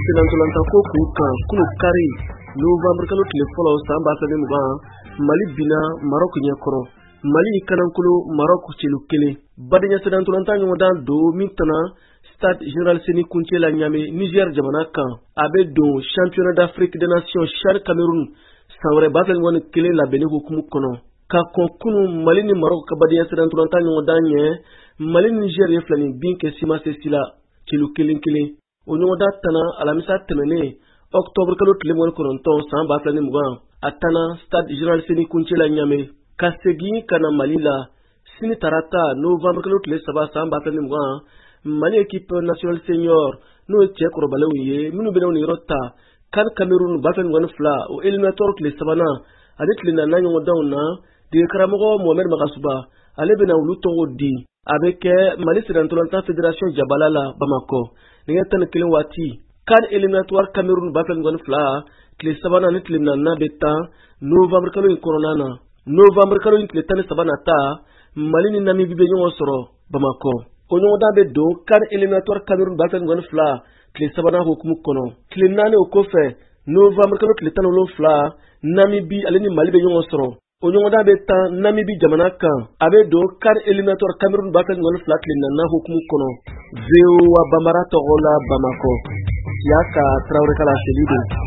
Senantolantanko kun kan, kunu kari novembre kalo tile fɔlɔ san 2020, Mali binna Maroc ɲɛkɔrɔ. Mali kanankolo Maroc celu 1. Badenya senantolantan ɲɔgɔndan don min tana Stade Général Seni Kunce la Ɲame, Niger jamana kan. A bɛ don Championnat d'Afrique des Nations CHAN Cameroun san wɛrɛ 2021 labɛnni hukumu kɔnɔ. Ka kɔn kunu Mali ni Maroc ka badenya senantolantan ɲɔgɔndan ɲɛ, Mali ni Niger ye filani bin kɛ sima se la celu 1-1. O ɲɔgɔndan tana alamisa tɛmɛnen octobre kalo tile 29 san 2020, a tana Stade Général Seni Kunce la Ɲame. Ka segin ka na Mali la sini tarata novembre kalo tile 3 san 2020, Mali équipe nationale senior, n'o ye cɛ kɔrɔbalenw ye minnu bɛna u yɔrɔ ta CAN Cameroun 2022, o éliminatoire tile sabanan ani tile naaninan ɲɔgɔndanw na, dege karamɔgɔ Mohamed Magasuba ale bɛna olu tɔgɔ di. A bɛ kɛ Mali senantolantan fédération jabala la Bamakɔ nɛgɛ 11 waati. CAN éliminatoire Cameroun 2022 tile sabanan ni tile naaninan bɛ tan novembre kalo in kɔnɔna na. Novembre kalo in tile 13 nata, Mali ni Namibie bɛ ɲɔgɔn sɔrɔ Bamakɔ. O ɲɔgɔndan bɛ don CAN éliminatoire Cameroun 2022 tile sabanan hukumu kɔnɔ. Tile 4 o kɔfɛ, novembre kalo tile 17, Namibie ale ni Mali bɛ ɲɔgɔn sɔrɔ. O ɲɔgɔndan bɛ tan Namibie jamana kan. A bɛ don CAN éliminatoire Cameroun 2022 tile naaninan hukumu kɔnɔ. VOA Bambara tɔgɔ la Bamakɔ, Siyaka Tarawele ka laseli don.